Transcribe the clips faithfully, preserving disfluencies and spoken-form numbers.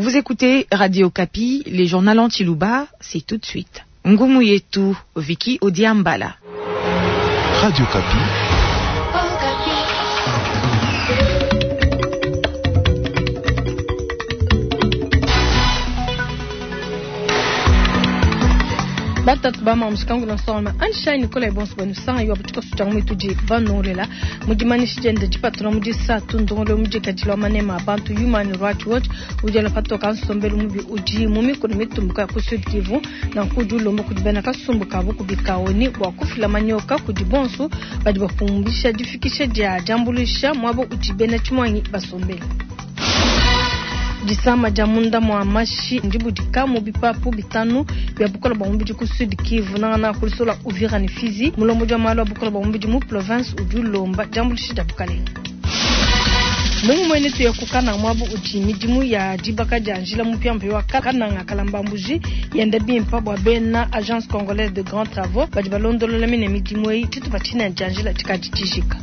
Vous écoutez Radio Okapi, les journaux en tshiluba, c'est tout de suite. Ngumu yetu, Vicky Odiambala. Radio Okapi. Batatu ba mushikangu na nsonga ansha Nicolas bonso banusanga yo butuka sutanga mutuji banolela mudimanisha jende dipatula mu disatu ndongolo mudikadila manema abantu Human Rights Watch udi patoka nsombelu mubi udi mu mikolo mitumbuka ku Sud Kivu na nkudi ulomba kudi bena kasumbu kabu kubikaoni bua kufila manyoka kudi bonso badi bapumbisha difikisha dia diambuluisha muaba udi bena tshimuangi basombele. Disama dia munda mwa mashi ndibudika mu bipapu bitanu bia bukola bwa mubidi ku Sud Kivu nangana kulisola Uvira ne Fizi mulombo dia malu a bukola bwa mubidi mu province udi ulomba diambuluisha dia bukalenga. Mungu mwene tuya kukana mwabu udi midimu ya dibaka dia njila mupia wa kananga kalambambuji yenda bimpa bwa bena Agence Congolaise de Grands Travaux badi balondolola mine midimu eyi tshitupa tshina dia njila tshikadi tshijika.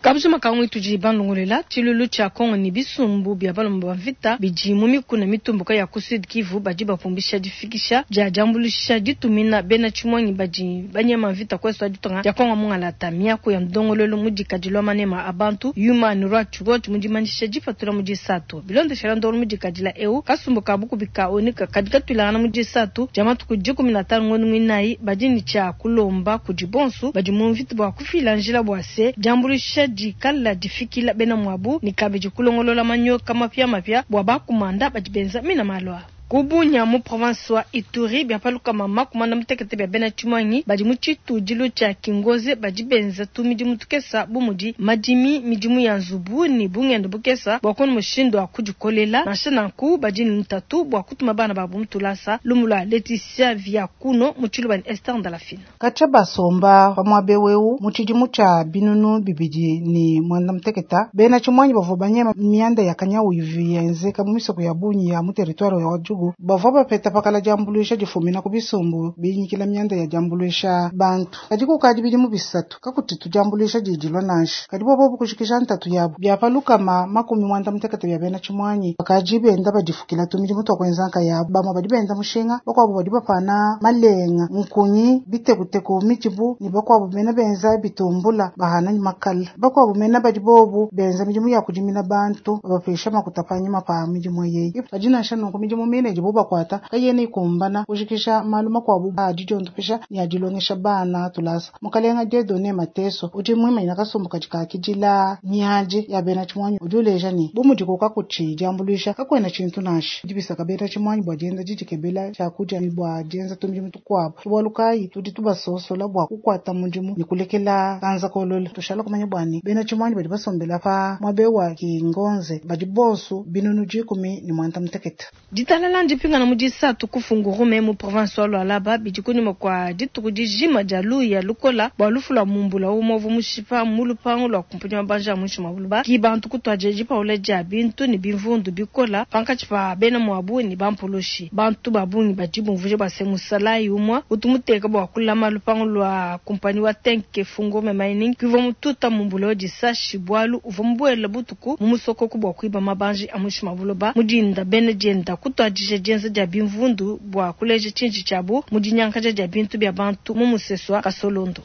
Kabujuma kamwe tudi banlongolela tshilulu tshia Kongo ni bisumbu bia balomba ba mvita bidi mu mikuna mitumbuka ya ku Sud Kivu badi bapumbisha difikisha dia diambuluisha ditumina bena tshimuangi badi banyema mvita kwesu ditonga dia Kongo mungalata miaku ya ndongololo mudikadilwa manema abantu Human Rights Watch mudimanyisha dipatula mu disatu bilondeshela ndongolo mudikadila eu kasumbu kabu kubika onika kadi katwilangana mu disatu dia matuku dikumi na tanu ngondo mwinayi badi ni tshia kulomba kudi bonso badi mu mvita bua kufila njila bua se diambuluisha dikala difikila bena mwabu ni kabidi kulongolola manyoka mapya mapya bua bakumanda badi benza mina malwa. Kubunya mu province wa Ituri bia paluka mama kumanda mutekete bia bena tshimuangi badi mu tshitudilu tshia Kingoze badi benza tu midimu tukesa bu mudi madimi midimu ya nzubu ni bungendo bukesa bua kona mushindu wa kudikolela nansha nanku badi ni ntatu bua kutuma bana babu mutulasa lumula Leticia Viakuno mu tshiluba ni Esther Ndalafina. Kacha basomba pamwabe weu mu tshidimu tshia binunu bibidi ni mwanda muteketa bena tshimuangi bavua banyema mianda ya kanyawu ivi yenzeka mu misoko ya bunyi ya mu territoire ya Djugu bavua bapeta pakala diambuluisha difumina ku bisumbu binyikila mianda ya diambuluisha bantu kadi kukadi bidimu bisatu kakuti tudiambuluisha didilwa nansha kadi bobo bukushikisha ntatu yabo biapalukama makumi mwanda mutekete bia bena tshimuanyi bakadi benda badifukila tumidimu twa kuenza nkayabo bamwe badi benda mushinga bakuabo badi bapana malenga nkunyi bitekuteku midibu ni bakuabo mena benza bitumbula bahana ni makala bakuabo mena badi bobu benza midimu ya kudimina bantu babapesha makuta panyima pa midimu yeyi badi nansha nunku midimu mine dibo bakwata kayene ikumbana kushikisha malu makuabu adidiondopesha ni adilongesha bana tulasa mukalenga Dieudonné Mateso udi mwimanyina kasumbu kadi kakidila miaji ya bena tshimuanyi udi uleja ni bu mudi kukakuthi diambuluisha kakuena tshintu nansha dibisaka bena tshimuanyi bua dienza didikebela tshiakudia bua dienza tumidimu tukuabu bualu kayi tudi tubasosola bua kukwata mudimu ni kulekela kanza kolola tushala kumanya bwani bena tshimuanyi badi basombela pa muabe wa Kingonze badi bonso binunu dikumi ni mwanda mutekete. Ditalala ndipingana mu disatu kufungurume mu province wa Lualaba bidi kunyuma kwa dituku dijima dia luya lukola bua lufu lua mumbula umovu mushipa mu lupangu lua kumpunya mabanja muinshi mua buluba ki bantu kutuadija dipaula dia bintu ne bimvundu bikola pankatshi pa bena muabu ne bampulushi bantu ba bungi badi bumvuje bua se musalayi umua utu muteka bua kulama lupangu lua kumpanyi wa Tenke Fungurume Mining kivua mututa mumbula wa disashi bualu uvua mubuela butuku mu musokoku bua kuiba mabanji a muinshi mua buloba mudinda bena dienda kutuadija dienza dia bimvundu bua kuleja tshinji tshiabu mu dinyankaja dia bintu bia bantu mu musesu wa Kasolondo.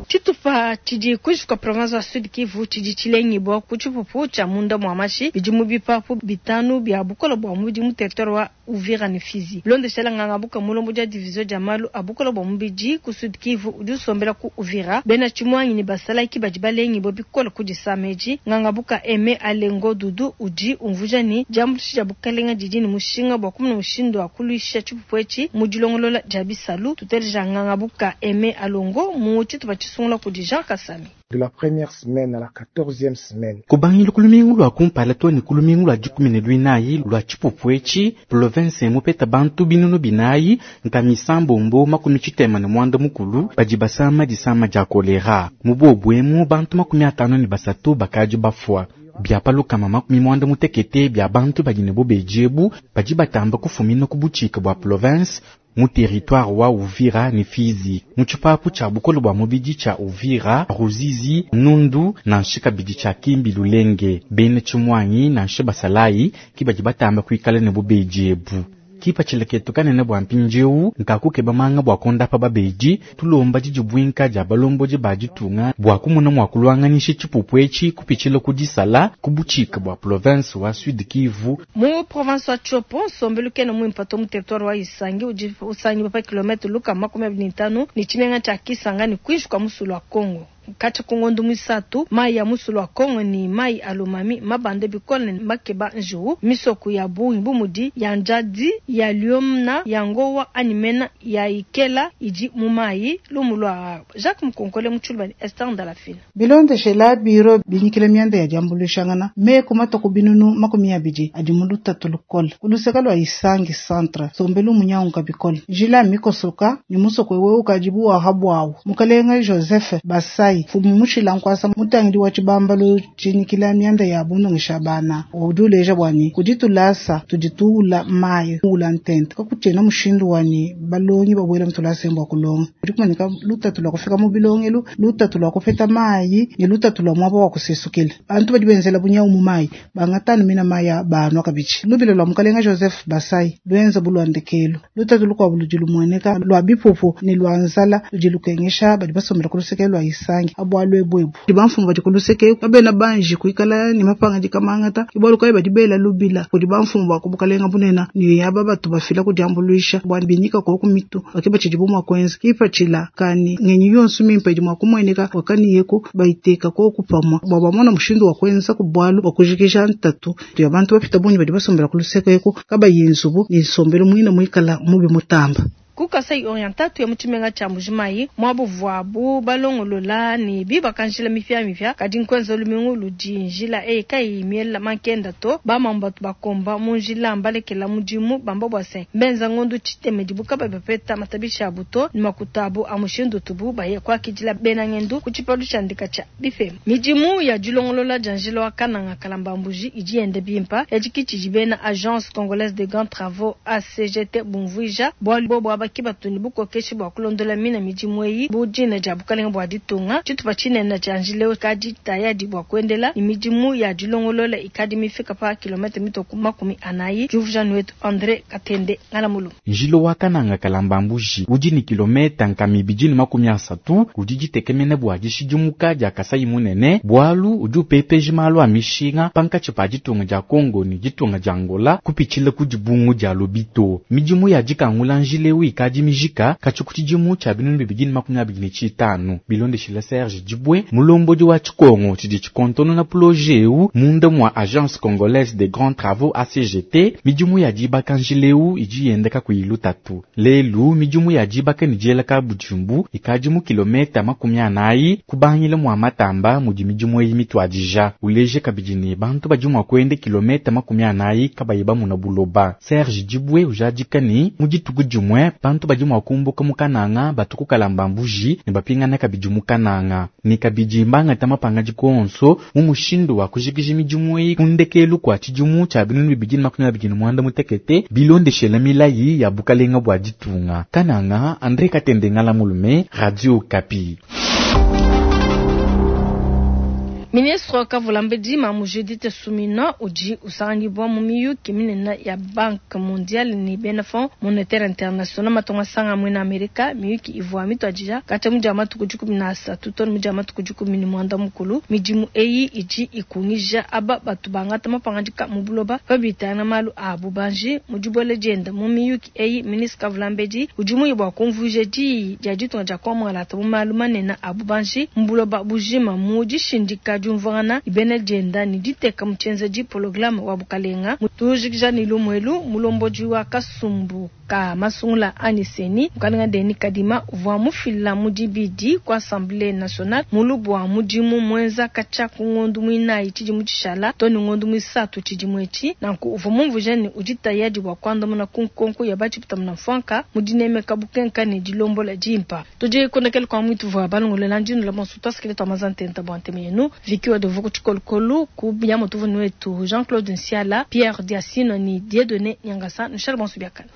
Tshitupa tshidi kuinshi province wa Sud Kivu tshidi tshilengibwa ku tshipupu tshia munda mwa mashi bidi mu bipapu bitanu bia bukola bua mubidi mu territoire wa Uvira ne Fizi. Bilondeshela nganga buka mulombo dia division dia malu a bukola bua mubidi ku Sud Kivu udi usombela ku Uvira bena tshimuangi ne basalaki badi balengibwa bikola ku disameji nganga buka Aime Alengo Dudu udi umvuja ni diambuluisha dia bukalenga didi ne mushinga bua kumuna mushindu wa kuluisha tshipupu etshi mu dilongolola dia bisalu tuteleja nganga buka Aime Alongo mu tshitupa tshisungula kudi Jean Kasami. De la première semaine à la quatorzième semaine. Kubangila kulumingu lwa kumpala to ni kulumingu lwa dikumi ne luinayi lwa tshipupu etshi province mupeta bantu binunu binayi nkamisambombo makumi tshitema ne mwanda mukulu badi basama disama dia kolera mu bobu bantu makumi atano ne basatu bakadi bafua bia palukama makumi mwanda mutekete bia bantu badi ne bobeji ebu badi batamba kufumina ku butshika bua province mu territoire wa Uvira ne Fizi. Mu tshipapu tshia bukole bua mubidi tshia Uvira, Ruzizi, Nundu nansha kabidi tshia Kimbi Lulenge. Bena tshimuangi nansha basalayi ki badi batamba kuikala ne bubedi ebu. Kipatshila ketu kanene bua mpindieu nkakukeba manga bua kondapa babedi tulomba didi buinka dia balombodi ba ditunga bua kumona mua kulwanganisha tshipupu etshi kupitshila ku disala ku butshika bua province wa Sud Kivu. Mu province wa Tshopo nsombelu kena muimpe to mu territoire wa Isangi udi usangiwa pa kilomètre lukama makumi abidi ne ntanu ne tshimenga tshia Kisangani kuinshi kua musulu wa Congo. Katshia ku ngondo muisatu mayi a musulu wa Congo ne mayi a Lomami mabande bikole ne makeba njiwu misoko ya bungi bu mudi ya Njadi ya Liomna ya Ngowa anyi mena ya Ikela idi mu mayi. Lumu lua Jacques Mukonkole mu Tshiluba ne Esther Ndalafina. Bilondeshela biro binyikile mianda ya diambuluishangana meku matuku binunu makumi abidi adi mu lutatu lukole ku luseke lua Isangi centre nsombelu munyanguka bikole njila mikosoka ne musoko wewe ukadi buwaha buawu mukalenga Joseph Basai fumu mushila nkwasa mutangidi wa tshibambalu tshinyikila mianda ya bunongesha bana udi uleja bwani kudi tulasa tudi tuula mayi ula ntente kakutshiena mushindu wani balongi babwela mutulasa embwa kulonga kudi kumanika lutatu lwa kufika mu bilongelu lutatu lwa kupeta mayi ne lutatu lwa mwaba wa kusesukila bantu badi benzela bunyawu mu mayi bangatanu mina mayi banwa kabidi lubilo lwa mukalenga Joseph Basai lwenza bulwandekelo lutatu lukwabu ludi lumueneka lwa bipupu ne lwa nzala ludi lukengesha badi basombela ku luseke lwa Isangi abwalu ebwebu bamfumu badi ku luseke babena banji kuikala ne mapanga dikamangata ibwalu kayi badi bela lubila kudi bamfumu ba kubukalenga bunena ne yaba batu bafila kudiambuluisha bwa binyika ko ku mitu bakeba tshidi bumwa kwenza kipatshila kani ngenyi yonso mimpe idi mwa kumueneka wakaniyeko bayiteka ko kupamwa bwa bamona mushindu wa kwenza ku bwalu bwa kujikisha ntatu ya bantu bapita bungi badi basombela ku luseke eko kabayi nzubu ne nsombelo mwina mwikala mubi mutamba. Ku Kasai Oriental tuya mu tshimenga tshia Mbujimayi muabu vuabu balongolola ne bibaka njila mipiamipia kadi nkwenza lumingu ludi njila eyi kayi miela mankenda to bamambu batu bakomba mu njila mbalekela mudimu bamba bua se mbenza ngondu tshitemedi buka bapeta matabisha abu to ne makuta abu a mushindu tubu baye kuakidila bena ngendu ku tshipalu tshia ndika tshia bifema. Midimu ya dilongolola dia njila wa Kananga Kalamba Mbuji idi yenda bimpa yadikitshidi bena Agence Congolaise de Grands Travaux A C G T bumvuija bualu bobo kibatu ni bukokeshi bua kulondola mina midimu eyi bu dina dia bukalenga bua ditunga tshitupa tshinene tshia njila kadi tayadi bua kuendela ni midimu ya dilongolola ikadi mifika pa kilomètre mitoku makumi anayi. Juvujanu wetu André Katende Ngalamulu. Njila wa Kananga Kalamba Mbuji udi ni kilomètre nkama ibidi ne makumi asatu udi ditekemena bua dishidimuka dia Kasai munene bualu udi upepeja malu a mishinga pankatshi pa ditunga dia Congo ne ditunga dia Angola kupitshila ku dibungu dia Lobito. Midimu ya dikangula njila ewu ikadi mijika katshi tshidimu tshia binunu bibidi ne makumi abidi ne tshitanu. Bilondeshila Serge Dibwe mulombodi wa Tshikongo tshidi tshikontonona projet ewu munda mwa Agence Congolaise des Grands Travaux A C G T. Midimu ya dibaka njila ewu idi yendeka kuilu tatu lelu midimu ya dibaka ne diela ka budimbu ikadi mu kilomètre makumi anayi kubangila mwa Matamba mudi midimu eyi mituadija uleje kabidi ne bantu badi mua kuenda kilomètre makumi anayi kabayi bamuna buloba. Serge Dibwe ujadika ne mu dituku dimue bantu badi mua kumbuka mu Kananga batuku Kalamba Mbuji ne bapingana kabidi mu Kananga ne kabidi mbangata mapanga dikonso mu mushindu wa kujikija midimu eyi ku ndekelu kwa tshidimu tshia binunu bibidi ne makumi abidi ne muanda mutekete bilondeshela milayi ya bukalenga bua ditunga. Kananga, André Katende Ngalamulume, Radio Okapi. Ministre Kavulambedi Mamu Judith Suminwa udi usanganyibwa mu miyuki minene ya Banque Mondiale ne bena Fonds Monétaire International matonga sanga mwena Amerika. Miyuki ivua mituadija katshia mu dia matuku dikumi na asatu to mu dia matuku dikumi ne muanda mukulu. Midimu eyi idi ikungija aba batu bangata mapangadika mu buloba pabitana malu a bubanji. Mu dibuela dienda mu miyuki eyi, Ministre Kavulambedi udi muye bua kumvuija diyi dia ditunga dia kuamualata mu malu manene a bubanji mu buloba bujima mu dishindika diumvuangana ibena dienda ne diteka mu tshienzedi programme wa bukalenga. Tujikija ne lumwelu mulombodi wa kasumbu ka masungula anyi seni mukalenga Denis Kadima uvua mufila mu dibidi ku Assemblée nationale mulubu wa mudimu mwenza katshia ku ngondu muinayi tshidimu tshishala to ne ngondu muisatu tshidimu etshi. Nanku uvua mumvuija ne udi tayadi bua kuandamuna ku nkonko ya batshipita muna mfuanka mu dinemeka bukenka ne dilombola dimpa. Tudi kondekela kwa mwitu vua balongolela ndinu la bonso twasikile twa mazantenta bua nteme yenu. Vicky wa devu kutshikolokolo ku biamo tuvunu wetu Jean-Claude Nsiala, Pierre Diasino ni Dieudonné Nyangasa. Nushale bonso biakana.